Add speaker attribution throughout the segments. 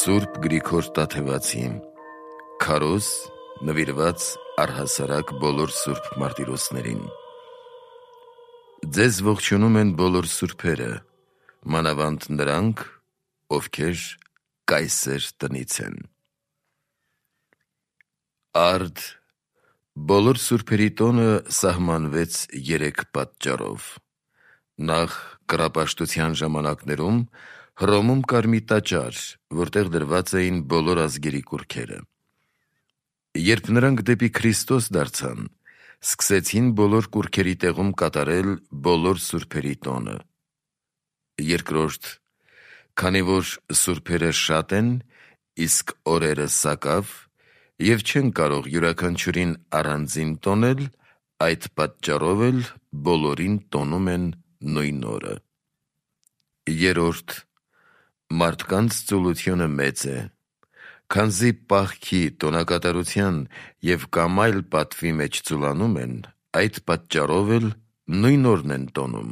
Speaker 1: Սուրբ Գրիգոր Տաթևացի Քարոզ նվիրված առհասարակ բոլոր սուրբ մարտիրոսներին։ Ձեզ ողջունում են բոլոր սուրբերը, մանավանդ նրանք, ովքեր կայսեր տնից են։ Արդ բոլոր սուրբերի տոնը սահմանվեց 3 պատճառով։ Նախ կռապաշտության ժամանակներում Հռոմում կար մի տաճար, որտեղ դրված էին բոլոր ազգերի կուռքերը։ Երբ նրանք դեպի Քրիստոս դարձան, սկսեցին բոլոր կուռքերի տեղում կատարել բոլոր սուրբերի տոնը։ Երկրորդ, քանի որ սուրբերը շատ են, իսկ օրերը սակավ, և չեն կարող յուրաքանչյուրին առանձին տոնել, այդ պատճառով էլ բոլորին տոնում են նույն օրը։ Երրորդ, մարդկանց ծուլությունը մեծ է, քանզի պահքի, տոնակատարության և կամ այլ պատվի մեջ ծուլանում են, այդ պատճառով էլ նույն օրն են տոնում։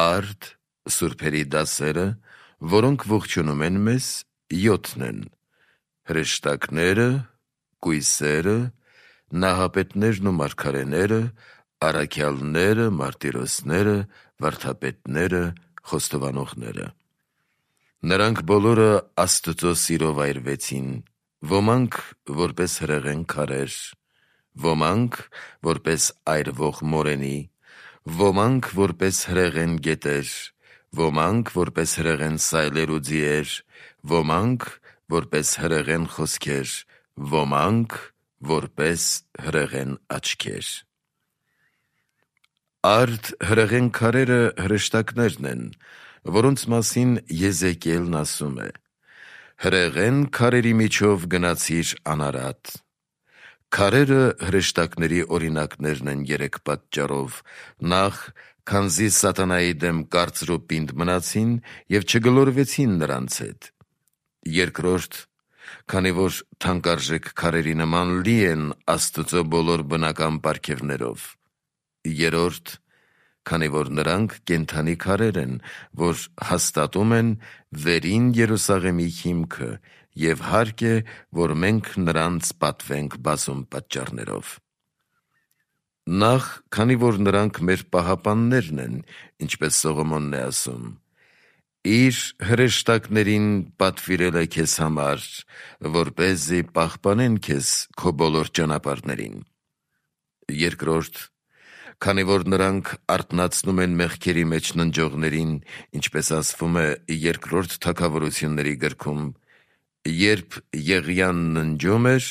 Speaker 1: Արդ սուրբերի դասերը, որոնք ողջունում են մեզ, 7 են. հրեշտակները, կույսերը, նահապետներն ու մարգարեները, առաքյալները, մարտիրոսները, վարդապետները, խոստովանողները։ Նրանք բոլորը Աստծո սիրով այրվեցին, ոմանք որպես հրեղեն քարեր, ոմանք որպես այրվող մորենի, ոմանք որպես հրեղեն գետեր, ոմանք որպես հրեղեն սայլեր ու ձիեր, ոմանք որպես հրեղեն խոսքեր, ոմանք որպես հրեղեն աչքեր։ Արդ հրեղեն քարերը հրեշտակներն են, որոնց մասին Եզեկիելն ասում է. «Հրեղեն քարերի միջով գնացիր անարատ»։ Քարերը հրեշտակների օրինակներն են 3 պատճառով. նախ, քանզի սատանայի դեմ կարծր ու պինդ մնացին և չգլորվեցին նրանց հետ. երկրորդ, քանի որ թանկարժեք քարերի նման լի են Աստծո բոլոր բնական պարգևներով. երրորդ, քանի որ նրանք կենդանի քարեր են, որ հաստատում են վերին Երուսաղեմի հիմքը, և հարկ է, որ մենք նրանց պատվենք բազում պատճառներով։ Նախ, քանի որ նրանք մեր պահապաններն են, ինչպես Սողոմոնն է ասում. «Իր հրեշտակներին պատվիրել է քեզ համար, որպեսզի պահպանեն քեզ քո բոլոր ճանապարհներին»։ Երկրորդ, քանի որ նրանք արթնացնում են մեղքերի մեջ ննջողներին, ինչպես ասվում է Երկրորդ Թագավորությունների գրքում. «Երբ Եղիան ննջում էր,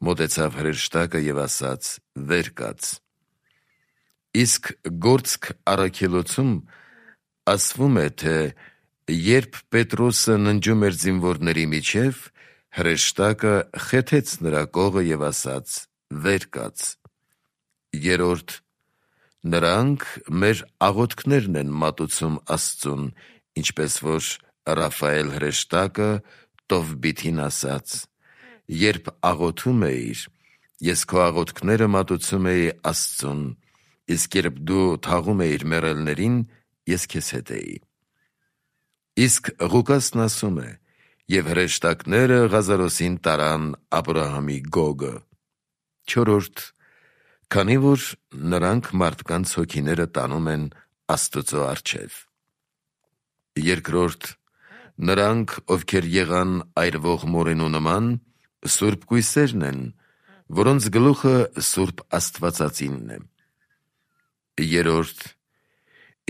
Speaker 1: մոտեցավ հրեշտակը և ասաց. վեր կաց»։ Իսկ Գործք առաքելոցում ասվում է, թե երբ Պետրոսը ննջում էր զինվորների միջև, հրեշտակը խեթեց նրա կողը և ասաց. վեր կաց։ Երրորդ, նրանք մեր աղոթքներն են մատուցում Աստծուն, ինչպես որ Ռաֆայել հրեշտակը Տովբիթին ասաց. «Երբ աղոթում էիր, ես քո աղոթքները մատուցում էի Աստծուն, իսկ երբ դու թաղում էիր մեռելներին, ես քեզ հետ էի»։ Իսկ Ղուկասն ասում է. «Եվ հրեշտակները Ղազարոսին տարան Աբրահամի գոգը»։ Չորրորդ, քանի որ նրանք մարդկանց հոգիները տանում են Աստծո առջև։ Երկրորդ, նրանք, ովքեր եղան այրվող մորենու նման, սուրբ կույսերն են, որոնց գլուխը Սուրբ Աստվածածինն է։ Երրորդ,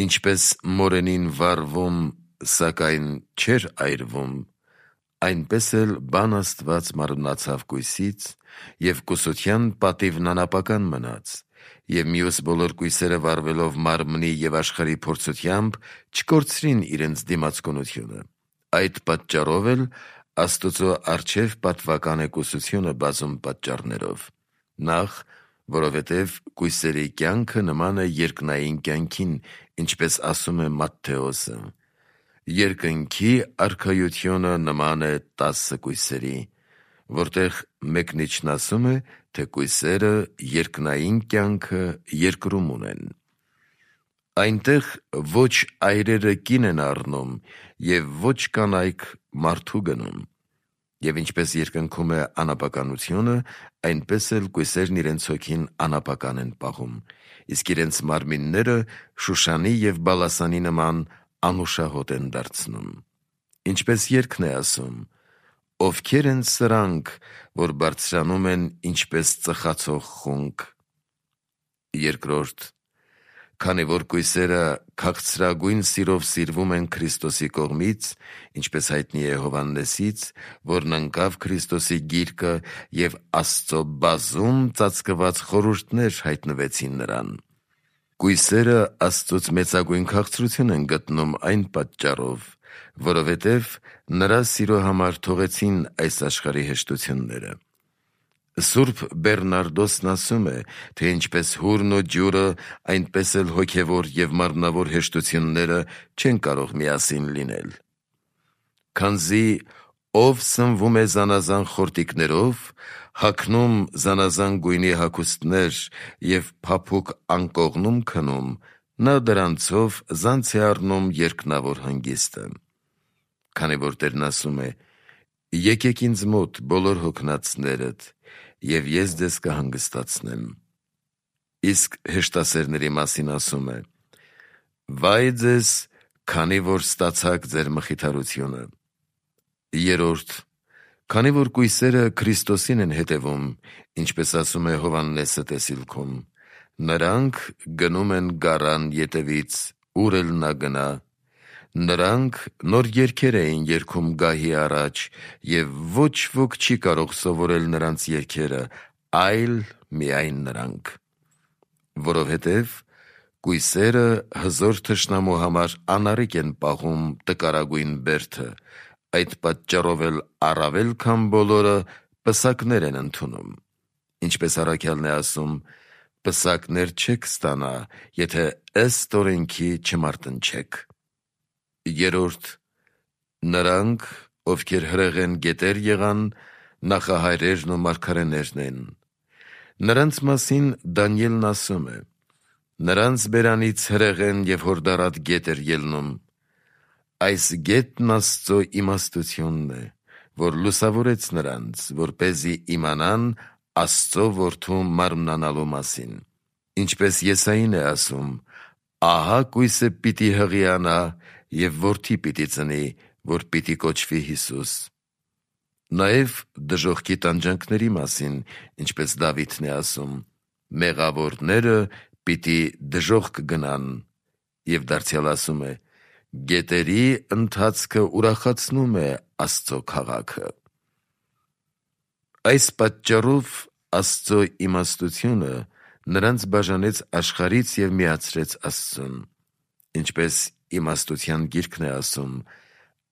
Speaker 1: ինչպես մորենին վառվում, սակայն չէր այրվում, այնպես էլ բան Աստված մարմնացավ կույսից, և կուսության պատիվն անապական մնաց, և մյուս բոլոր կույսերը վառվելով մարմնի և աշխարհի փորձությամբ չկորցրին իրենց դիմացկունությունը։ Այդ պատճառով էլ Աստծո առջև պատվական է կուսությունը բազում պատճառներով. նախ, որովհետև կույսերի կյանքը նման է երկնային կյանքին, ինչպես ասում է Մատթեոսը. երկնքի արքայությունը նման է 10 կույսերի, որտեղ մեկնիչն ասում է, թե կույսերը երկնային կյանքը երկրում ունեն։ Այնտեղ ոչ այրերը կին են առնում և ոչ կանայք մարդու գնում։ Եվ ինչպես երկնքում է անապականությունը, այնպես էլ կույսերն իրենց հոգին անապական են պահում, իսկ իրենց մարմինները Շուշանի և Բալասանի նման անուշահոտ են դարձնում։ Ինչպես երգն է ասում. «Ովքեր են սրանք, որ բարձրանում են ինչպես ծխացող խունկ»։ Երկրորդ. Քանի որ կույսերը քաղցրագույն սիրով սիրվում են Քրիստոսի կողմից, ինչպես հայտնի է Հովհաննեսից, որն ընկավ Քրիստոսի գիրկը և Աստծո բազում ծածկված խորհուրդներ հայտնվեցին նրան։ Կույսերը Աստծուց մեծագույն քաղցրություն են գտնում այն պատճառով, որովհետև նրա սիրո համար թողեցին այս աշխարհի հեշտությունները։ Սուրբ Բեռնարդոսն ասում է, թե ինչպես հուրն ու ջուրը, այնպես էլ հոգևոր և մարմնավոր հեշտությունները չեն կարող միասին լինել։ Քանզի ով սնվում է զանազան խորտիկներով, հագնում զանազան գույնի հագուստներ և փափուկ անկողնում քնում, նա դրանցով զանց է առնում երկնավոր հանգիստը։ Քանի որ Տերն ասում է. «Եկեք ինձ մոտ բոլոր հոգնածներդ, և ես ձեզ կհանգստացնեմ»։ Իսկ հեշտասերների մասին ասում է. «Վայ ձեզ, քանի որ ստացաք ձեր մխիթարությունը»։ Երրորդ. Քանի որ կույսերը Քրիստոսին են հետևում, ինչպես ասում է Հովհաննեսը տեսիլքում, նրանք գնում են գարան ետևից, ուր էլ նա գնա։ Նրանք նոր երգեր էին երգում գահի առաջ, և ոչ ոք չի կարող սովորել նրանց երգերը, այլ միայն նրանք։ Որովհետև կույսերը հզոր թշնամու համար անառիկ են պահում տկարագույն բերդը, այդ պատճառով էլ առավել քան բոլորը պսակներ են ընդունում։ Ինչպես առաքյալն է ասում. «Պսակներ չեք ստանա, եթե ըստ օրենքի չմարտնչեք»։ Երրորդ. Նրանք, ովքեր հրեղեն գետեր եղան, նախահայրերն ու մարգարեներն են։ Նրանց մասին Դանիելն ասում է. «Նրանց բերանից հրեղեն և հորդառատ գետ էր ելնում»։ Այս գետն Աստծո իմաստությունն է, որ լուսավորեց նրանց, որպեսզի իմանան Աստծո որդու մարմնանալու մասին։ Ինչպես Եսային է ասում. «Ահա կույսը պիտի հղիանա և որդի պիտի ծնի, որ պիտի կոչվի Հիսուս»։ Նաև դժոխքի տանջանքների մասին, ինչպես Դավիթն է ասում. «Մեղավորները պիտի դժոխք գնան», և դարձյալ ասում է. «Գետերի ընթացքը ուրախացնում է Աստծո քաղաքը»։ Այս պատճառով Աստծո իմաստությունը նրանց բաժանեց աշխարհից և միացրեց Աստծուն։ Ինչպես իմաստության գիրքն է ասում.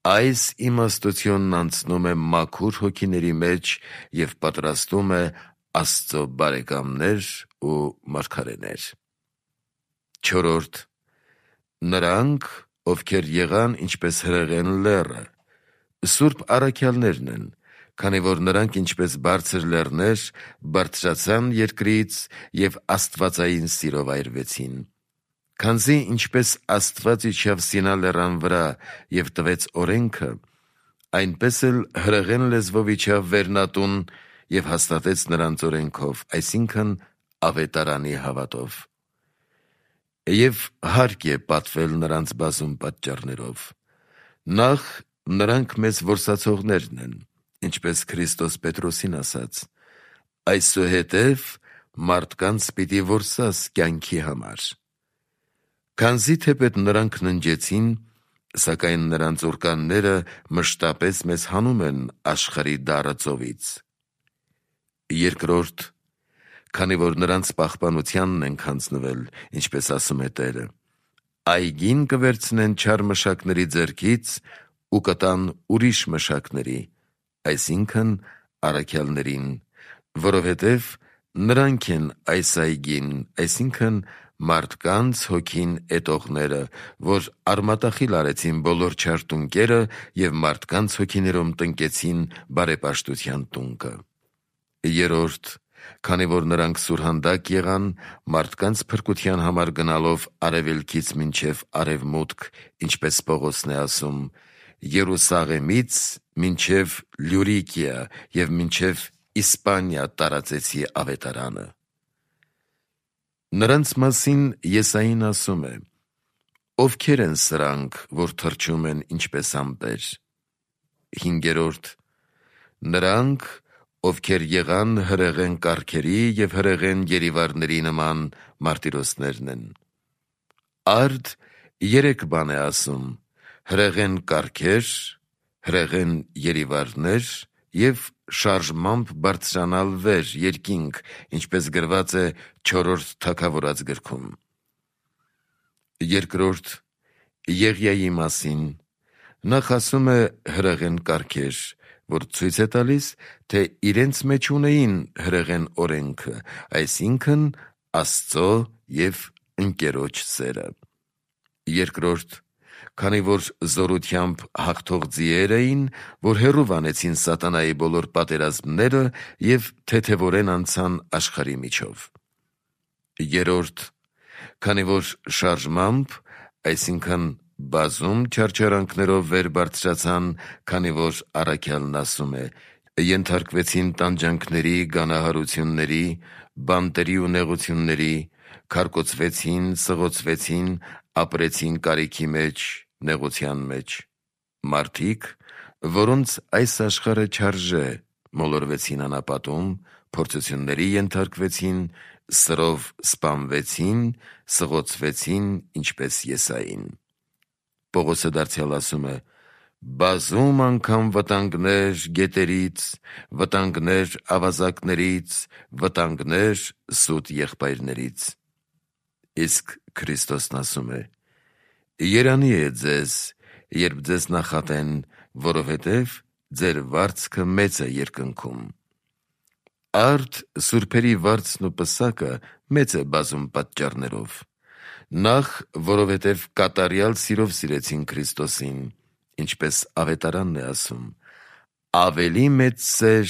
Speaker 1: «Այս իմաստությունն անցնում է մաքուր հոգիների մեջ և պատրաստում է Աստծո բարեկամներ ու մարգարեներ»։ Չորրորդ. Նրանք, ովքեր եղան ինչպես հրեղեն լեռը, սուրբ առաքյալներն են, քանի որ նրանք ինչպես բարձր լեռներ բարձրացան երկրից և աստվածային սիրով այրվեցին։ Քանզի ինչպես Աստված իջավ Սինա լեռան վրա և տվեց օրենքը, այնպես էլ հրեղեն լեզվով իջավ Վերնատուն և հաստատեց նրանց օրենքով, այսինքն Ավետարանի հավատով։ Եվ հարկ է պատվել նրանց բազում պատճառներով։ Նախ, նրանք մեզ որսացողներն են, ինչպես Քրիստոս Պետրոսին ասաց. «Այսուհետև մարդկանց պիտի որսաս կյանքի համար»։ Քանզի թեպետ նրանք ննջեցին, սակայն նրանց ուռկանները մշտապես մեզ հանում են աշխարհի դառը ծովից։ Երկրորդ. Քանի որ նրանց պահպանությանն ենք հանձնվել, ինչպես ասում է Տերը. «Այգին կվերցնեն չար մշակների ձեռքից ու կտան ուրիշ մշակների», այսինքն առաքյալներին, որովհետև նրանք են այս այգին, այսինքն մարդկանց հոգին էտողները, որ արմատախիլ արեցին բոլոր չար տունկերը և մարդկանց հոգիներում տնկեցին բարեպաշտության տունկը։ Երրորդ. քանի որ նրանք սուրհանդակ եղան, մարդկանց փրկության համար գնալով արևելքից մինչև արևմուտք, ինչպես Պողոսն է ասում, Երուսաղեմից մինչև Լյուրիկիա և մինչև Իսպանիա տարածեցի ավետարանը։ Նրանց մասին Եսային ասում է. «Ովքեր են սրանք, որ թռչում են ինչպես ամպեր»։ 5. Նրանք, ովքեր եղան հրեղեն կառքերի և հրեղեն երիվարների նման մարտիրոսներն են։ Արդ 3 բան է ասում. հրեղեն կառքեր, հրեղեն երիվարներ և շարժմամբ բարձրանալ վեր երկինք, ինչպես գրված է 4-րդ թագավորաց գրքում։ 2. Եղիայի մասին. նախ ասում է հրեղեն կառքեր, որ ցույց է տալիս, թե իրենց մեջ ունեին հրեղեն օրենքը, այսինքն Աստծո և ընկերոջ սերը։ 2. Քանի որ զորությամբ հաղթող ձիեր էին, որ հեռու վանեցին սատանայի բոլոր պատերազմները և թեթևորեն անցան աշխարհի միջով։ 3. Քանի որ շարժմամբ, այսինքն բազում չարչարանքներով վեր բարձրացան, քանի որ առաքյալն ասում է. ենթարկվեցին տանջանքների, գանահարությունների, բանտերի ու նեղությունների, քարկոծվեցին, սղոցվեցին, ապրեցին կարիքի մեջ, նեղության մեջ։ Մարդիկ, որոնց այս աշխարհը չարժե, մոլորվեցին անապատում, փորձությունների ենթարկվեցին, սրով սպանվեցին, սղոցվեցին, ինչպես Եսային։ Պողոսը դարձյալ ասում է. բազում անգամ վտանգներ գետերից, վտանգներ ավազակներից, վտանգներ սուտ եղբայրներից։ Իսկ Քրիստոսն ասում է. երանի է ձեզ, երբ ձեզ նախատեն, որովհետև ձեր վարձքը մեծ է երկնքում։ Արդ սուրբերի վարձն ու պսակը մեծ է բազում պատճառներով։ Նախ, որովհետև կատարյալ սիրով սիրեցին Քրիստոսին, ինչպես ավետարանն է ասում. ավելի մեծ սեր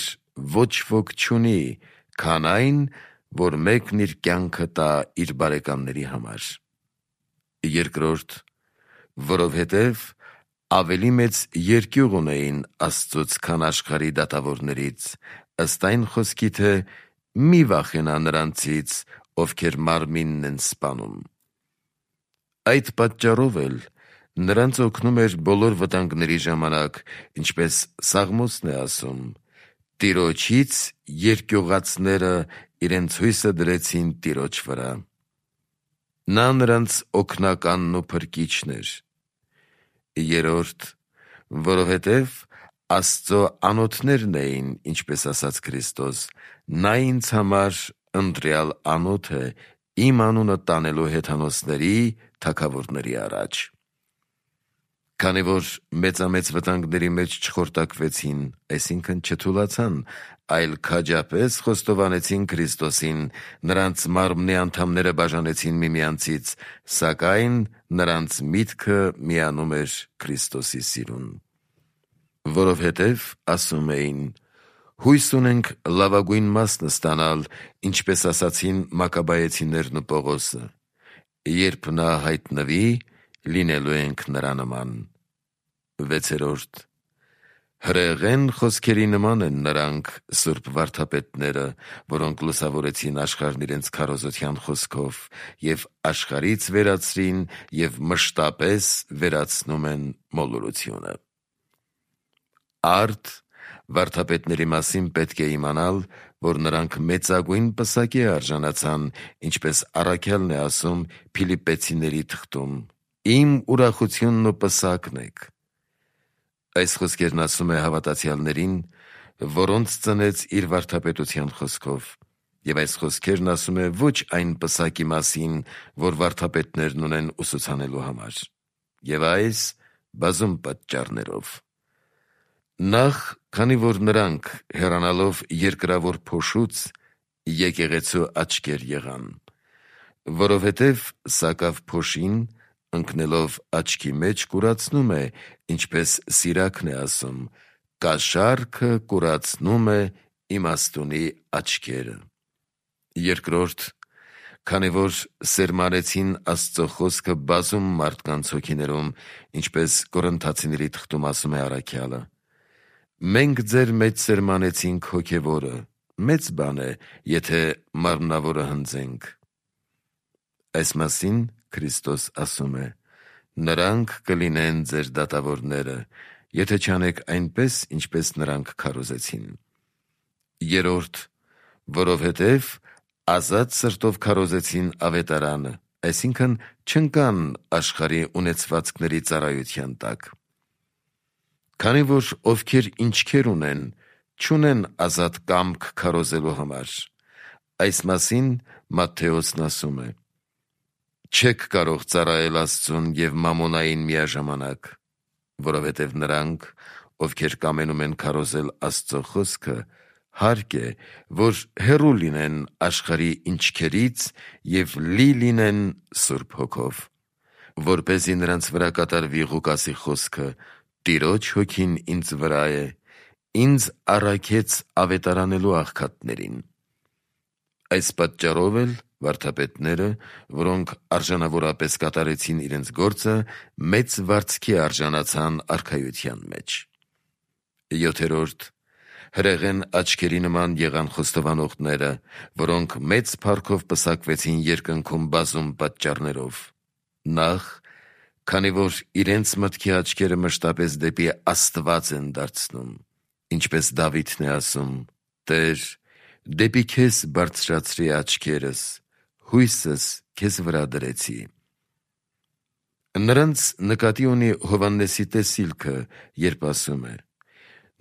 Speaker 1: ոչ ոք չունի, քան այն, որ մեկն իր կյանքը տա իր բարեկամների համար։ 2. Որովհետև ավելի մեծ երկյուղ ունեին Աստծուց, քան աշխարհի դատավորներից, ըստ այն խոսքի, թե մի վախենա նրանցից, ովքեր մարմինն են սպանում։ Այդ պատճառով էլ նրանց օգնում էր բոլոր վտանգների ժամանակ, ինչպես Սաղմոսն է ասում. Տիրոջից երկյուղածները իրենց հույսը դրեցին Տիրոջ վրա։ Նա նրանց օգնականն ու փրկիչն էր։ 3. Որովհետև Աստծո անոթներն էին, ինչպես ասաց Քրիստոս. նա ինձ համար ընտրյալ անոթ է, իմ անունը տանելու հեթանոսների, թագավորների առաջ։ Քանի որ մեծամեծ վտանգների մեջ չխորտակվեցին, այսինքն չթուլացան, այլ քաջապես խոստովանեցին Քրիստոսին, նրանց մարմնի անդամները բաժանեցին միմյանցից, սակայն նրանց միտքը միանում էր Քրիստոսի սիրուն։ Որովհետև ասում էին. հույս ունենք լավագույն մասն ստանալ, ինչպես ասացին Մակաբայեցիներն ու Պողոսը. երբ նա հայտնվի, լինելու ենք նրա նման։ 6. Հրեղեն խոսքերի նման են նրանք սուրբ վարդապետները, որոնք լուսավորեցին աշխարհն իրենց քարոզության խոսքով և աշխարհից վերացրին և մշտապես վերացնում են մոլորությունը։ Արդ վարդապետների մասին պետք է իմանալ, որ նրանք մեծագույն պսակի արժանացան, ինչպես առաքյալն է ասում Փիլիպպեցիների թղթում. իմ ուրախությունն ու պսակն եք։ Այս խոսքերն ասում է հավատացյալներին, որոնց ծնեց իր վարդապետության խոսքով, և այս խոսքերն ասում է ոչ այն պսակի մասին, որ վարդապետներն ունեն ուսուցանելու համար, և այս բազում պատճառներով։ Նախ, քանի որ նրանք, հեռանալով երկրավոր փոշուց, եկեղեցու աչքեր եղան, որովհետև սակավ փոշին, ընկնելով աչքի մեջ, կուրացնում է, ինչպես Սիրաքն է ասում. կաշառքը կուրացնում է իմաստունի աչքերը։ Երկրորդ, քանի որ սերմանեցին Աստծո խոսքը բազում մարդկանց հոգիներում, ինչպես Կորինթացիների թղթում ասում է առաքյալը. մենք ձեր մեջ սերմանեցինք հոգևորը, մեծ բան է, եթե մարմնավորը հնձենք։ Այս մասին Քրիստոս ասում է. նրանք կլինեն ձեր դատավորները, եթե չանեք այնպես, ինչպես նրանք քարոզեցին։ Երրորդ, որովհետև ազատ սրտով քարոզեցին ավետարանը, այսինքն չընկան աշխարհի ունեցվածքների ծառայության տակ։ Քանի որ ովքեր ինչքեր ունեն, չունեն ազատ կամք քարոզելու համար։ Այս մասին Մատթեոսն ասում է. չեք կարող ծառայել Աստծուն և մամոնային միաժամանակ, որովհետև նրանք, ովքեր կամենում են քարոզել Աստծո խոսքը, հարկ է, որ հեռու լինեն աշխարհի ինչքերից և լի լինեն Սուրբ Հոգով, որպեսզի նրանց վրա կատարվի Ղուկասի խոսքը. «Տիրոջ հոգին ինձ վրա է, ինձ առաքեց ավետարանելու աղքատներին»։ Այս պատճառով էլ վարդապետները, որոնք արժանավորապես կատարեցին իրենց գործը, մեծ վարձքի արժանացան արքայության մեջ։ Յոթերորդ, հրեղեն աչքերի նման եղան խոստովանողները, որոնք մեծ փառքով պսակվեցին երկնքում բազում պատճառներով։ Նախ, քանի որ իրենց մտքի աչքերը մշտապես դեպի Աստված են դարձնում, ինչպես Դավիթն է ասում. «Տեր, դեպի քեզ բարձրացրի աչքերս, հույսս քեզ վրա դրեցի»։ Նրանց նկատի ունի Հովհաննեսի տեսիլքը, երբ ասում է.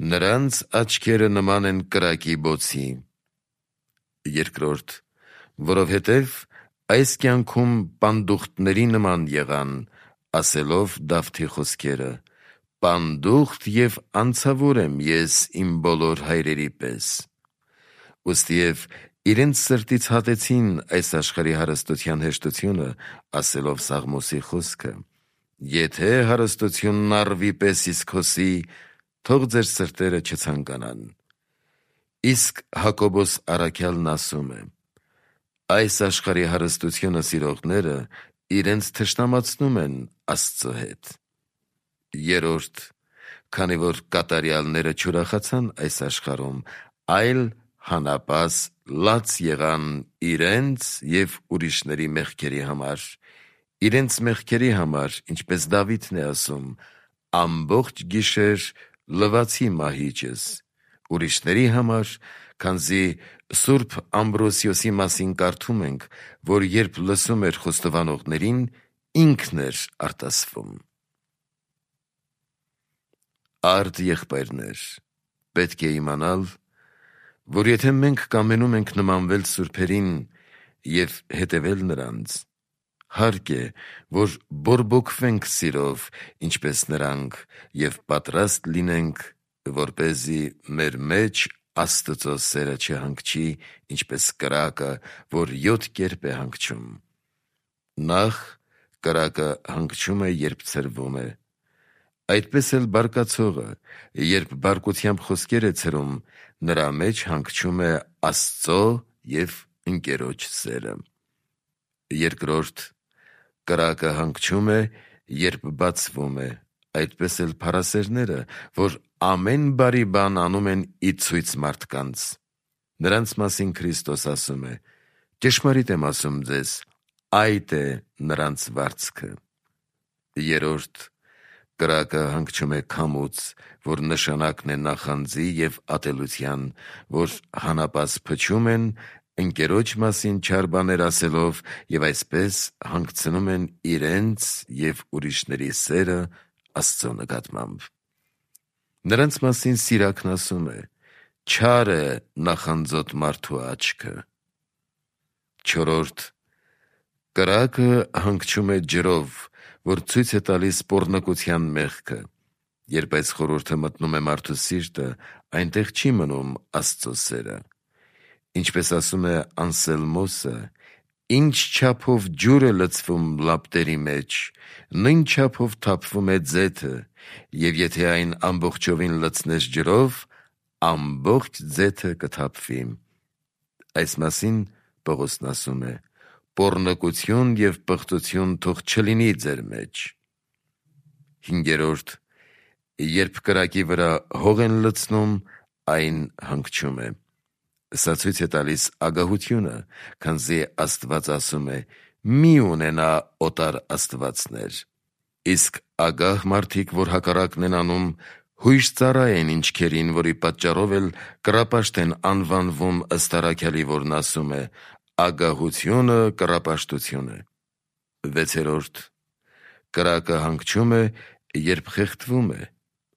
Speaker 1: «Նրանց աչքերը նման են կրակի բոցի»։ Երկրորդ, որովհետև այս կյանքում պանդուխտների նման եղան, ասելով Դավթի խոսքերը. «Պանդուխտ և անցավոր եմ ես իմ բոլոր հայրերի պես»։ Ուստիև իրենց սրտից հատեցին այս աշխարհի հարստության հեշտությունը, ասելով Սաղմոսի խոսքը. «Եթե հարստությունն առվի պես իսկ հոսի, թող ձեր սրտերը չցանկանան»։ Իսկ Հակոբոս առաքյալն ասում է. այս աշխարհի հարստությունը սիրողները իրենց թշնամացնում են Աստծո հետ։ Երրորդ, քանի որ կատարյալները չուրախացան այս աշխարհում, այլ հանապազ լաց եղան իրենց և ուրիշների մեղքերի համար, իրենց մեղքերի համար, ինչպես Դավիթն է ասում. «Ամբողջ գիշեր լվացի մահիճս», ուրիշների համար, քանզի Սուրբ Ամբրոսիոսի մասին կարդում ենք, որ երբ լսում էր խոստովանողներին, ինքն էր արտասվում։ Արդ եղբայրներ, պետք է իմանալ, որ եթե մենք կամենում ենք նմանվել սուրբերին և հետևել նրանց, հարկ է, որ բորբոքվենք սիրով, ինչպես նրանք, և պատրաստ լինենք, որպեսզի մեր մեջ Աստծո սերը չհանգչի, ինչպես կրակը, որ 7 կերպ է հանգչում։ Նախ, կրակը հանգչում է, երբ ցրվում է։ Այդպես էլ բարկացողը, երբ բարկությամբ խոսքեր է ցրում, նրա մեջ հանգչում է Աստծո և ընկերոջ սերը։ Երկրորդ, կրակը հանգչում է, երբ բացվում է, այդպես էլ փառասերները, որ ամեն բարի բան անում են ի ցույց մարդկանց։ Նրանց մասին Քրիստոս ասում է. «Ճշմարիտ եմ ասում ձեզ, այդ է նրանց վարձքը»։ Երրորդ, կրակը հանգչում է քամուց, որ նշանակն է նախանձի և ատելության, որ հանապազ փչում են, ընկերոջ մասին չար բաներ ասելով և այսպես հանգցնում են իրենց և ուրիշների սերը Աստծո նկատմամբ։ Նրանց մասին Սիրակն ասում է. «Չար է նախանձոտ մարդու աչքը»։ Չորրորդ, կրակը հանգչում է ջրով, որ ցույց է տալիս պոռնկության մեղքը։ Երբ այս խորհուրդը մտնում է մարդու սիրտը, այնտեղ չի մնում Աստծո սերը։ Ինչպես ասում է Անսելմոսը. «Ինչ չափով ջուր է լցվում լապտերի մեջ, նույն չափով թափվում է ձեթը, և եթե այն ամբողջովին լցնես ջրով, ամբողջ ձեթը կթափվի»։ Այս մասին Պողոսն ասում է. «Պոռնկություն և պղծություն թող չլինի ձեր մեջ»։ 5. Երբ կրակի վրա հող են լցնում, այն հանգչում է։ Սա ցույց է տալիս ագահությունը, քանզի Աստված ասում է. «Մի ունենա օտար աստվածներ»։ Իսկ ագահ մարդիկ, որ հակառակն են անում, հույժ ծառա են ինչքերին, որի պատճառով էլ կռապաշտ են անվանվում ըստ առաքյալի, որն ասում է. «Ագահությունը կռապաշտություն է»։ 6. Կրակը հանգչում է, երբ խեղդվում է։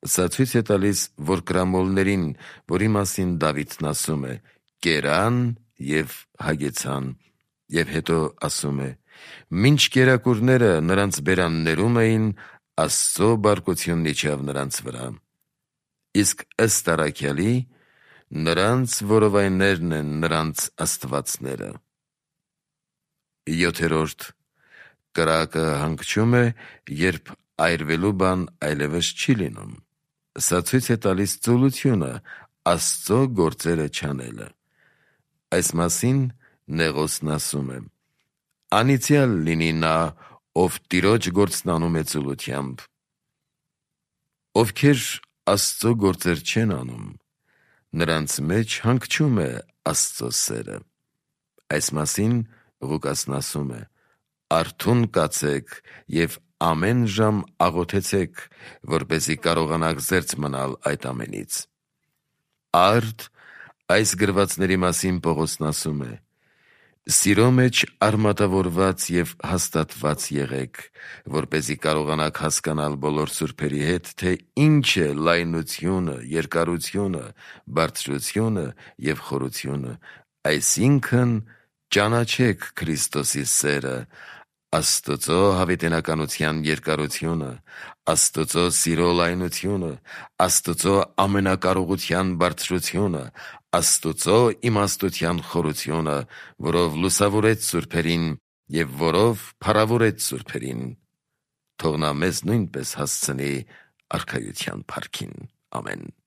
Speaker 1: Սա ցույց է տալիս, որ կրամոլներին, որի մասին Դավիթն ասում է. «Կերան և հագեցան», և հետո ասում է. «Մինչ կերակուրները նրանց բերաններում էին, Աստծո բարկությունն իջավ նրանց վրա»։ Իսկ ըստ առաքյալի, նրանց որովայներն են նրանց աստվածները։ 7. Կրակը հանգչում է, երբ այրվելու բան այլևս չի լինում։ Սա ցույց է տալիս ծուլությունը, Աստծո գործերը չանելը։ Այս մասին Նեղոսն ասում է. «Անիծյալ լինի նա, ով Տիրոջ գործն անում է ծուլությամբ»։ Ովքեր Աստծո գործեր չեն անում, նրանց մեջ հանգչում է Աստծո սերը։ Այս մասին Ղուկասն ասում է. «Արթուն կացեք և ամեն ժամ աղոթեցեք, որպեսզի կարողանաք զերծ մնալ այդ ամենից»։ Արդ այս գրվածների մասին Պողոսն ասում է. «Սիրո մեջ արմատավորված և հաստատված եղեք, որպեսզի կարողանաք հասկանալ բոլոր սուրբերի հետ, թե ինչ է լայնությունը, երկարությունը, բարձրությունը և խորությունը, այսինքն ճանաչեք Քրիստոսի սերը, Աստծո հավիտենականության երկարությունը, Աստծո սիրո լայնությունը, Աստծո ամենակարողության բարձրությունը, Աստծո իմաստության խորությունը, որով լուսավորեց սուրբերին և որով փառավորեց սուրբերին, թող նա մեզ նույնպես հասցնի արքայության փառքին։ Ամեն»։